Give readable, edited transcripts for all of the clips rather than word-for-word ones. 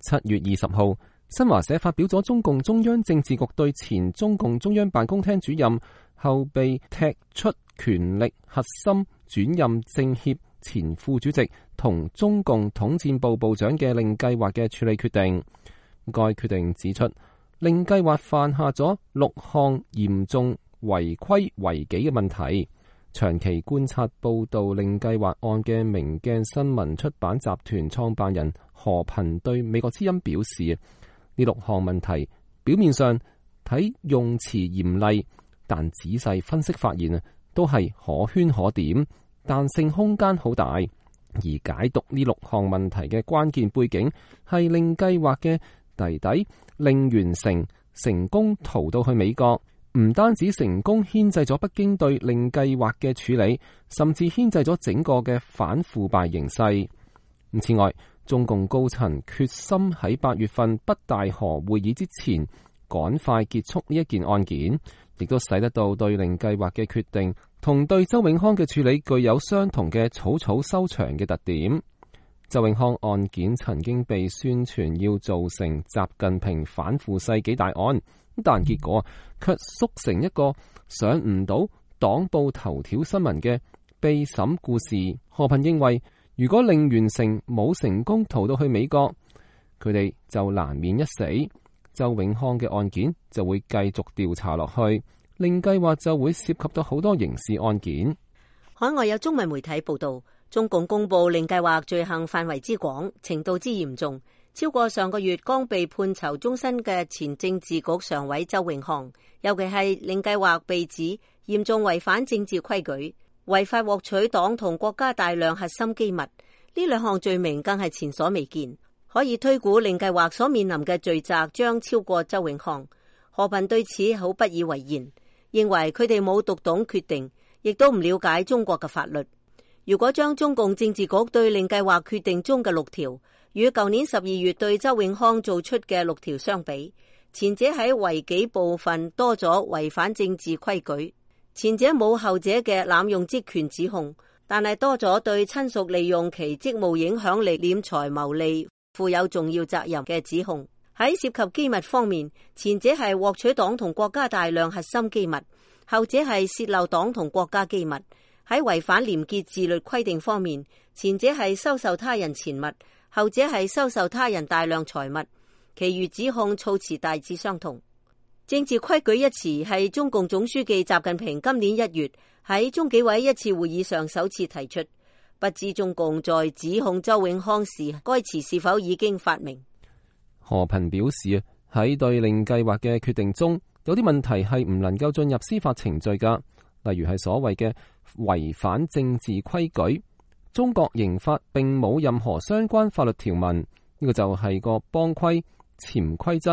7月20號，新華社發表咗中共中央政治局對前中共中央辦公廳主任後被踢出權力核心轉任政協前副主席同中共統戰部部長嘅令計劃嘅處理決定。該決定指出，令計劃犯下咗6項嚴重違規違紀嘅問題。長期觀察報道令計劃案嘅明鏡新聞出版集團創辦人何頻對美國之音表示，呢6項問題表面上睇用詞嚴厲，但仔細分析發現都係可圈可點，彈性空間好大。而解讀呢6項問題嘅關鍵背景係令計劃嘅弟弟令元成成功逃到去美國，唔單止成功牽制咗北京對令計劃嘅處理，甚至牽制咗整個嘅反腐敗形勢。此外，中共高層決心喺8月份北戴河會議之前趕快結束呢一件案件，亦都使得到對令計劃嘅決定同對周永康嘅處理具有相同嘅草草收場嘅特點。周永康案件曾經被宣傳要造成習近平反腐世紀大案，但結果卻縮成一個上唔到黨報頭條新聞嘅被審故事。何頻認為，如果令元成冇成功逃到去美國，佢哋就難免一死，周永康嘅案件就會繼續調查落去，令計劃就會涉及到好多刑事案件。海外有中文媒體報道，中共公布令計劃罪行範圍之廣，程度之嚴重，超過上個月剛被判囚終身嘅前政治局常委周永康，尤其係令計劃被指嚴重違反政治規矩，違法獲取黨同國家大量核心機密，呢2項罪名更係前所未見，可以推估令計劃所面臨嘅罪責將超過周永康。何頻對此好不以為然，認為佢哋冇讀懂決定，亦都唔了解中國嘅法律。如果將中共政治局對令計劃決定中嘅6條與舊年12月對周永康做出嘅6條相比，前者喺違紀部分多咗違反政治規矩，前者冇後者嘅濫用職權指控，但係多咗對親屬利用其職務影響力斂財牟利負有重要責任嘅指控。喺涉及機密方面，前者係獲取黨同國家大量核心機密，後者係洩漏黨同國家機密。喺違反廉潔自律規定方面，前者係收受他人錢物，後者係收受他人大量財物。其餘指控措辭大致相同。政治規矩一詞係中共總書記習近平今年1月喺中紀委一次會議上首次提出，不知中共在指控周永康時，該詞是否已經發明。何頻表示，喺對令計劃嘅決定中，有啲問題係唔能夠進入司法程序噶，例如係所謂嘅違反政治規矩。中國刑法並冇任何相關法律條文，呢個就係個幫規、潛規則，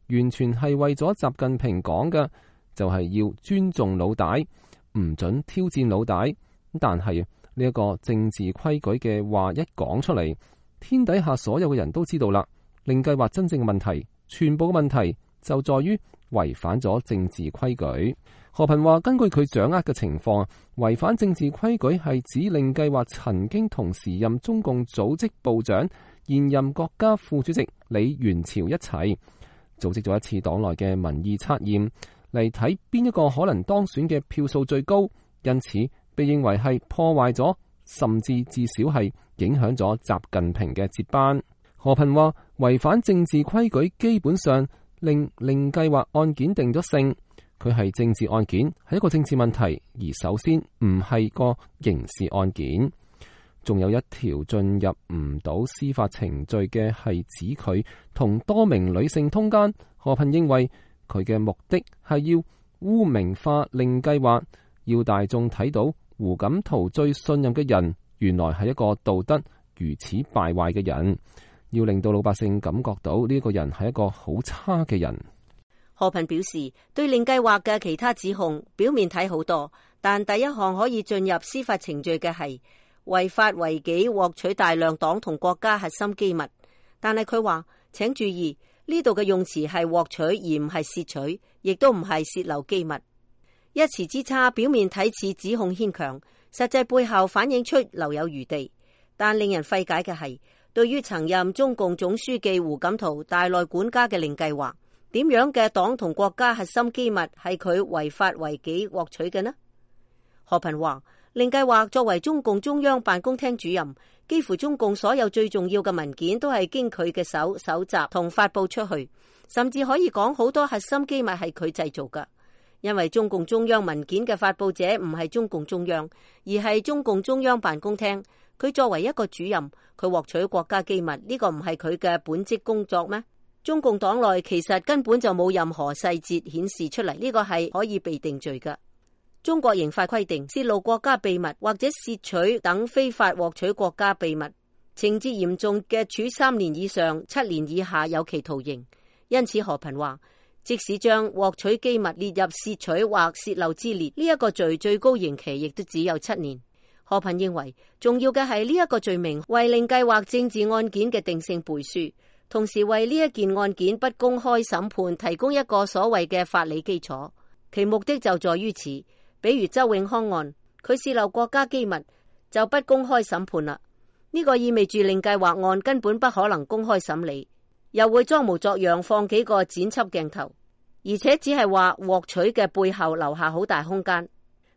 完全係為咗習近平講嘅，就係要尊重老大，唔准挑戰老大。但係呢一個政治規矩嘅話一講出嚟，天底下所有嘅人都知道啦。令計劃真正嘅問題，全部嘅問題就在於違反咗政治規矩。何頻話，根據佢掌握嘅情況，違反政治規矩係指令計劃曾經同時任中共組織部長、現任國家副主席李源潮一齊組織咗一次黨內嘅民意測驗，嚟睇邊一個可能當選嘅票數最高，因此被認為係破壞咗，甚至至少係影響咗習近平嘅接班。何頻話，違反政治規矩基本上令計劃案件定咗性，佢係政治案件，係一個政治問題，而首先唔係個刑事案件。仲有一條進入唔到司法程序嘅係指佢同多名女性通姦。何頻認為佢嘅目的係要污名化令計劃，要大眾睇到胡錦濤最信任嘅人原來係一個道德如此敗壞嘅人，要令到老百姓感覺到呢個人係一個好差嘅人。何頻表示，對令計劃嘅其他指控表面睇好多，但第一項可以進入司法程序嘅係違法違紀獲取大量黨同國家核心機密。但係佢話，請注意呢度嘅用詞係獲取而唔係竊取，亦都唔係洩漏機密。一詞之差，表面睇似指控牽強，實際背後反映出留有餘地。但令人費解嘅係，對於曾任中共總書記胡錦濤大內管家嘅令計劃，點樣嘅黨同國家核心機密係佢違法違紀獲取嘅呢？何頻話，令計劃作為中共中央辦公廳主任，幾乎中共所有最重要嘅文件都係經佢嘅手搜集同發佈出去，甚至可以講好多核心機密係佢製造㗎。因為中共中央文件嘅發佈者唔係中共中央，而係中共中央辦公廳。佢作為一個主任，佢獲取國家機密，呢個唔係佢嘅本職工作咩？中共黨內其實根本就冇任何細節顯示出嚟，呢個係可以被定罪嘅。中國刑法規定，泄露國家秘密或者竊取等非法獲取國家秘密，情節嚴重嘅處3年以上7年以下有期徒刑。因此何頻話，即使將獲取機密列入竊取或洩漏之列，呢一個罪最高刑期亦都只有7年。何頻認為，重要嘅係呢一個罪名為令計劃政治案件嘅定性背書，同時為呢一件案件不公開審判提供一個所謂嘅法理基礎。其目的就在於此。比如周永康案，佢洩漏國家機密就不公開審判啦。呢個意味住令計劃案根本不可能公開審理，又會裝模作樣放幾個剪輯鏡頭，而且只係話獲取嘅背後留下好大空間，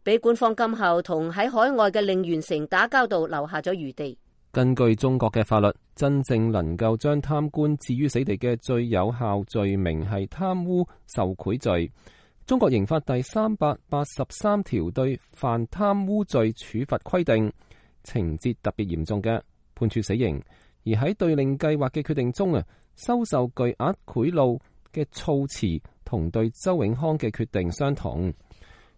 俾管方今後同喺海外嘅令袁成打交道留下咗餘地。根據中國嘅法律，真正能夠將貪官置於死地嘅最有效罪名係貪污受賄罪。中國刑法第383條對犯貪污罪處罰規定，情節特別嚴重嘅判處死刑。而喺對令計劃嘅決定中收受巨額賄賂嘅措辭同對周永康嘅決定相同。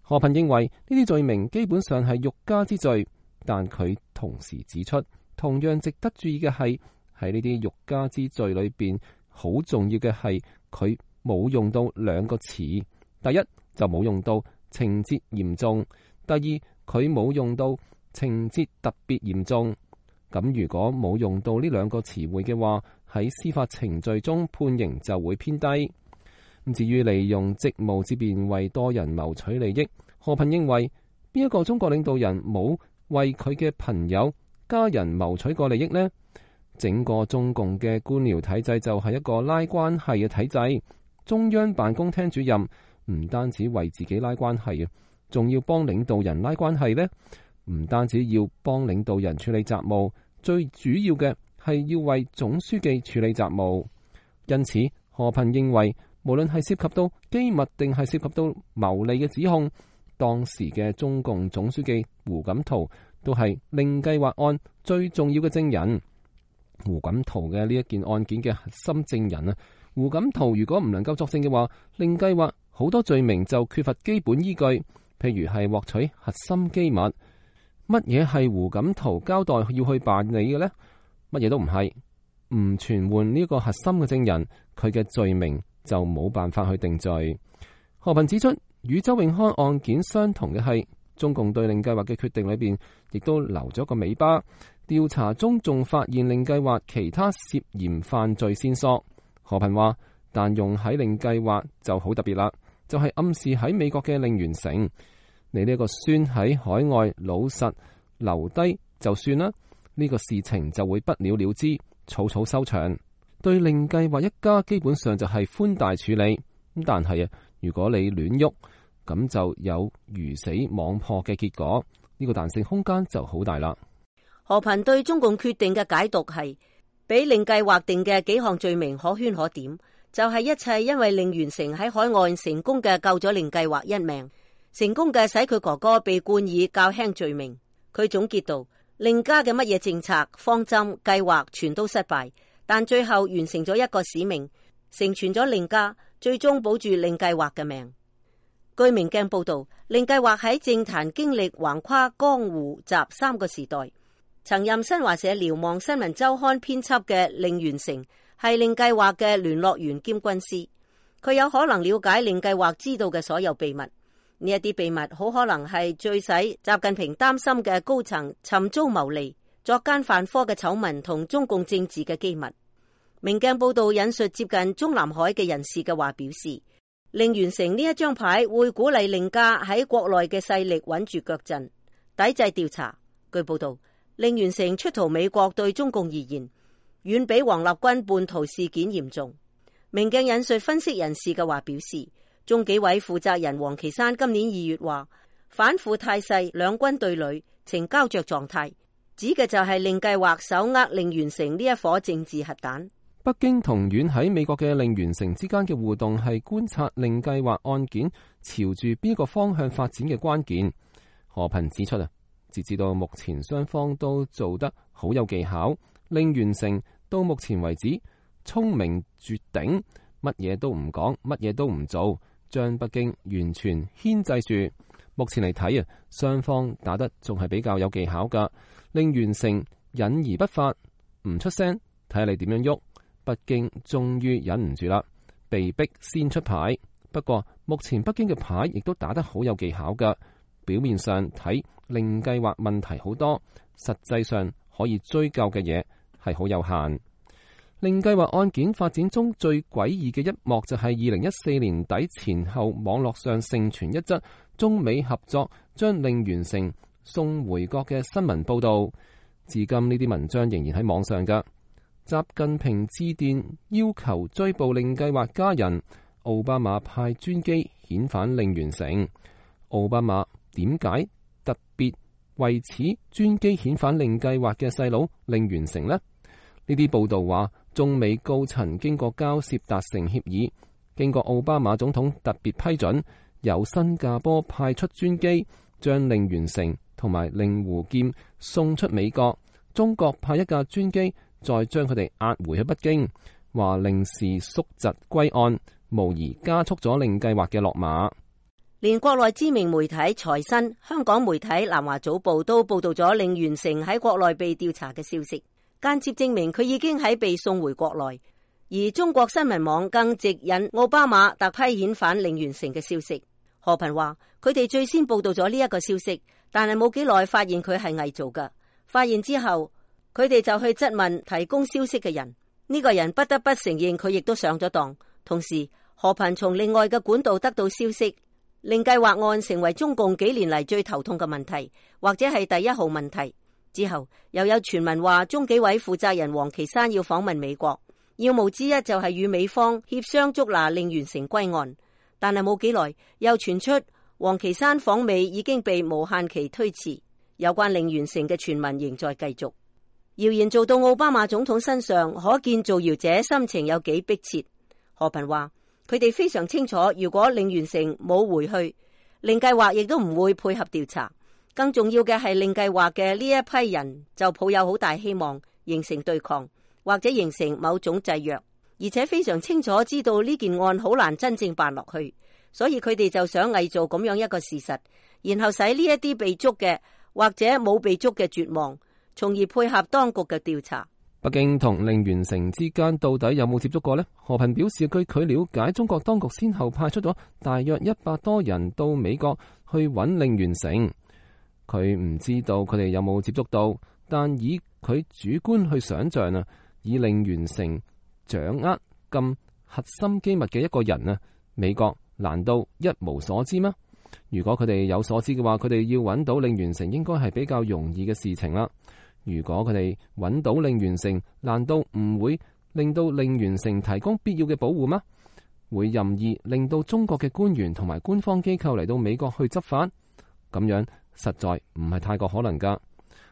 何頻認為呢啲罪名基本上係欲加之罪，但佢同時指出，同樣值得注意嘅係喺呢啲欲加之罪裏邊，好重要嘅係佢冇用到兩個詞。第一就冇用到情節嚴重，第二佢冇用到情節特別嚴重。咁如果冇用到呢兩個詞彙嘅話，喺司法程序中判刑就會偏低。至於利用職務之便為多人謀取利益，何頻認為邊一個中國領導人冇為佢嘅朋友家人謀取過利益呢？整個中共嘅官僚體制就係一個拉關係嘅體制，中央辦公廳主任唔單止為自己拉關係，仲要幫領導人拉關係呢？唔單止要幫領導人處理雜務，最主要嘅係要為總書記處理雜務。因此，何頻認為，無論係涉及到機密定係涉及到牟利嘅指控，當時嘅中共總書記胡錦濤都係令計劃案最重要嘅證人。胡錦濤嘅呢一件案件嘅核心證人胡錦濤如果唔能夠作證嘅話，令計劃好多罪名就缺乏基本依據，譬如係獲取核心機密。乜嘢係胡錦濤交代要去辦理嘅呢？乜嘢都唔係，唔傳喚呢個核心嘅證人，佢嘅罪名就冇辦法去定罪。何頻指出，與周永康案件相同嘅係，中共對令計劃嘅決定裏邊亦都留咗個尾巴。調查中仲發現令計劃其他涉嫌犯罪線索。何頻話，但用喺令計劃就好特別啦，就係暗示喺美國嘅令袁成，你呢個孫喺海外老實留低就算啦，呢個事情就會不了了之，草草收場。對令計劃一家基本上就係寬大處理，咁但係如果你亂喐，咁就有魚死網破嘅結果，呢個彈性空間就好大啦。何頻對中共決定嘅解讀係，俾令計劃定嘅幾項罪名可圈可點，就係一切因為令袁成喺海外成功嘅救咗令計劃一命，成功嘅使佢哥哥被冠以較輕罪名。佢總結道，令家嘅乜嘢政策、方針、計劃全都失敗，但最後完成咗一個使命，成全咗令家，最終保住令計劃嘅命。據明鏡報道，令計劃喺政壇經歷橫跨江湖雜3個時代。曾任新華社瞭望新聞週刊編輯嘅令袁成係令計劃嘅聯絡員兼軍師，佢有可能了解令計劃知道嘅所有秘密。呢一啲秘密好可能係最使習近平擔心嘅高層尋租牟利、作奸犯科嘅醜聞同中共政治嘅機密。明鏡報道引述接近中南海嘅人士嘅話表示，令袁成呢一張牌會鼓勵令家喺國內嘅勢力穩住腳陣，抵制調查。據報道，令袁成出逃美國對中共而言，遠比王立軍叛逃事件嚴重。明鏡引述分析人士嘅話表示，中紀委負責人王岐山今年2月話，反腐態勢兩軍對壘，呈膠着狀態，指嘅就係令計劃手握令完成呢一顆政治核彈。北京同遠喺美國嘅令完成之間嘅互動係觀察令計劃案件朝住邊個方向發展嘅關鍵。何頻指出截至到目前雙方都做得好有技巧，令完成到目前為止聰明絕頂，乜嘢都唔講，乜嘢都唔做，將北京完全牽制住。目前嚟睇雙方打得仲係比較有技巧噶。令完成隱而不發，唔出聲，睇下你點樣喐。北京終於忍唔住啦，被逼先出牌。不過目前北京嘅牌亦都打得好有技巧噶。表面上睇令計劃問題好多，實際上可以追究嘅嘢係好有限。令計劃案件發展中最詭異嘅一幕就係2014年底前後，網絡上盛傳一則中美合作將令完成送回國嘅新聞報道。至今呢啲文章仍然喺網上噶。習近平致電要求追捕令計劃家人，奧巴馬派專機遣返令完成。奧巴馬點解特別為此專機遣返令計劃嘅細佬令完成呢？呢啲報道話，中美高層經過交涉達成協議，經過奧巴馬總統特別批准，由新加坡派出專機將令完成同埋令胡劍送出美國，中國派一架專機再將佢哋押回去北京，話令事縮疾歸案，無疑加速咗令計劃嘅落馬。連國內知名媒體財新、香港媒體南華早報都報道咗令完成喺國內被調查嘅消息，間接證明佢已經喺被送回國內。而中國新聞網更直引奧巴馬特批遣返令完成嘅消息。何頻話，佢哋最先報道咗呢一個消息，但係冇幾耐發現佢係偽造㗎。發現之後，佢哋就去質問提供消息嘅人，呢個人不得不承認佢亦都上咗當。同時，何頻從另外嘅管道得到消息，令計劃案成為中共幾年嚟最頭痛嘅問題，或者係第一號問題。之後又有傳聞話，中紀委負責人王岐山要訪問美國，要務之一就係與美方協商捉拿令完成歸案。但係冇幾耐，又傳出王岐山訪美已經被無限期推遲，有關令完成嘅傳聞仍在繼續。謠言做到奧巴馬總統身上，可見造謠者心情有幾迫切。何頻話，佢哋非常清楚，如果令完成冇回去，令計劃亦都唔會配合調查。更重要嘅係，令計劃嘅呢一批人就抱有好大希望形成對抗，或者形成某種制約，而且非常清楚知道呢件案好難真正辦落去，所以佢哋就想偽造咁樣一個事實，然後使呢一啲被捉嘅或者冇被捉嘅絕望，從而配合當局嘅調查。北京同令完成之間到底有冇接觸過呢？何頻表示，據佢了解，中國當局先後派出咗大約100多人到美國去揾令完成。佢唔知道佢哋有冇接觸到，但以佢主觀去想象以令完成掌握咁核心機密嘅一個人美國難道一無所知嗎？如果佢哋有所知嘅話，佢哋要揾到令完成應該係比較容易嘅事情啦。如果佢哋揾到令完成，難道唔會令到令完成提供必要嘅保護嗎？會任意令到中國嘅官員同埋官方機構嚟到美國去執法？咁樣實在唔係太過可能噶。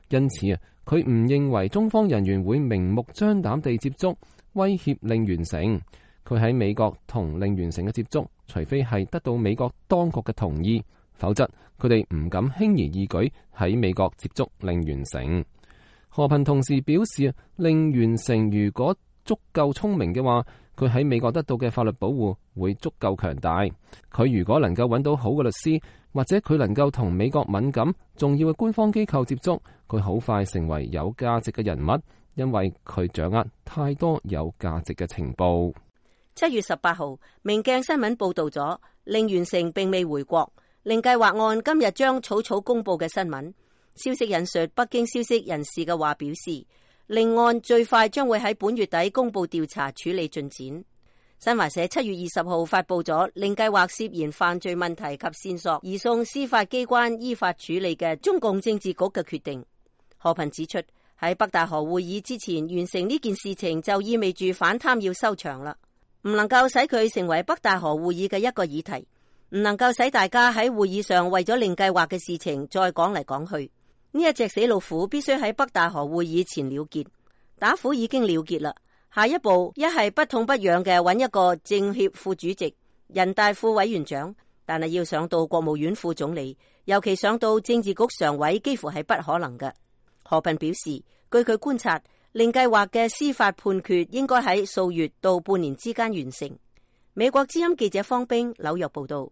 因此佢唔認為中方人員會明目張膽地接觸威脅令完成。佢喺美國同令完成嘅接觸，除非係得到美國當局嘅同意，否則佢哋唔敢輕而易舉喺美國接觸令完成。何頻同時表示，令完成如果足夠聰明嘅話，佢喺美國得到嘅法律保護會足夠強大。佢如果能夠揾到好嘅律師，或者佢能夠同美國敏感重要嘅官方機構接觸，佢好快成為有價值嘅人物，因為佢掌握太多有價值嘅情報。7月18號，明鏡新聞報道咗令完成並未回國，令計劃案今日將草草公布嘅新聞。消息引述北京消息人士嘅話表示，令案最快將會喺本月底公布調查處理進展。新華社7月20號發布咗令計劃涉嫌犯罪問題及線索移送司法機關依法處理嘅中共政治局嘅決定。何頻指出，喺北大河會議之前完成呢件事情，就意味住反貪要收場啦，唔能夠使佢成為北大河會議嘅一個議題，唔能夠使大家喺會議上為咗令計劃嘅事情再講嚟講去。呢一隻死老虎必須喺北大河會議前了結，打虎已經了結啦。下一步一係不痛不癢嘅揾一個政協副主席、人大副委員長，但係要上到國務院副總理，尤其上到政治局常委，幾乎係不可能嘅。何雋表示，據佢觀察，令計劃嘅司法判決應該喺數月到半年之間完成。美國之音記者方冰紐約報道。